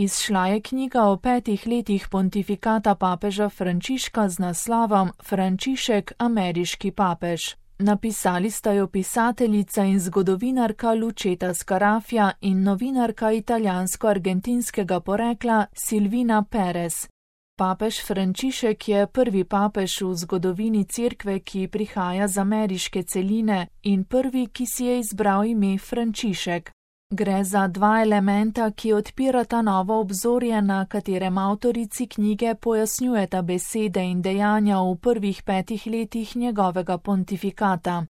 Izšla je knjiga o 5 letih pontifikata papeža Frančiška z naslovom Frančišek, ameriški papež. Napisali sta jo pisateljica in zgodovinarka Lucetta Scarafia in novinarka italijansko-argentinskega porekla Silvina Perez. Papež Frančišek je prvi papež v zgodovini Cerkve, ki prihaja z ameriške celine, in prvi, ki si je izbral ime Frančišek. Gre za 2 elementa, ki odpirata novo obzorje, na katerem avtorici knjige pojasnjujeta besede in dejanja v prvih 5 letih njegovega pontifikata.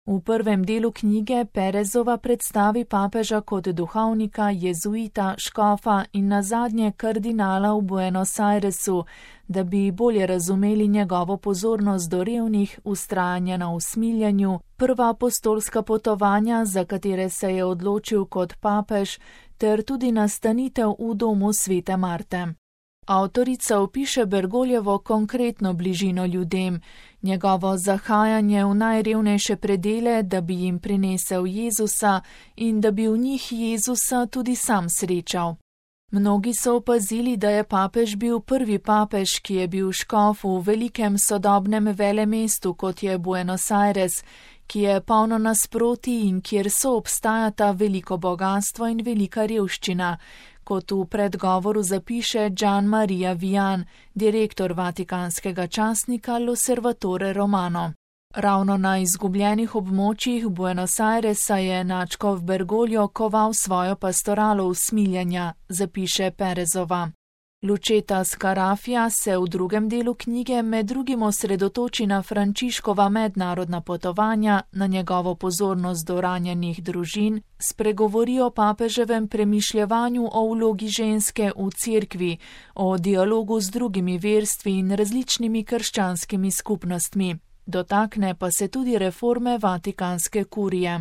V prvem delu knjige Perezova predstavi papeža kot duhovnika, jezuita, škofa in nazadnje kardinala v Buenos Airesu, da bi bolje razumeli njegovo pozornost do revnih, vztrajanje na usmiljenju, prva apostolska potovanja, za katere se je odločil kot papež, ter tudi nastanitev v domu svete Marte. Avtorica opiše Bergoljevo konkretno bližino ljudem, njegovo zahajanje v najrevnejše predele, da bi jim prinesel Jezusa in da bi v njih Jezusa tudi sam srečal. Mnogi so opazili, da je papež bil prvi papež, ki je bil škof v velikem sodobnem velemestu, kot je Buenos Aires, ki je polno nasprotij in kjer soobstajata veliko bogastvo in velika revščina, kot v predgovoru zapiše Gian Maria Vian, direktor vatikanskega časnika L'Osservatore Romano. Ravno na izgubljenih območjih Buenos Airesa je nadškof Bergoglio koval svojo pastoralo usmiljanja, zapiše Perezova. Lucetta Scarafia se v drugem delu knjige med drugim osredotoči na Frančiškova mednarodna potovanja, na njegovo pozornost do ranjenih družin, spregovori o papeževem premišljevanju o vlogi ženske v cerkvi, o dialogu z drugimi verstvi in različnimi krščanskimi skupnostmi. Dotakne pa se tudi reforme vatikanske kurije.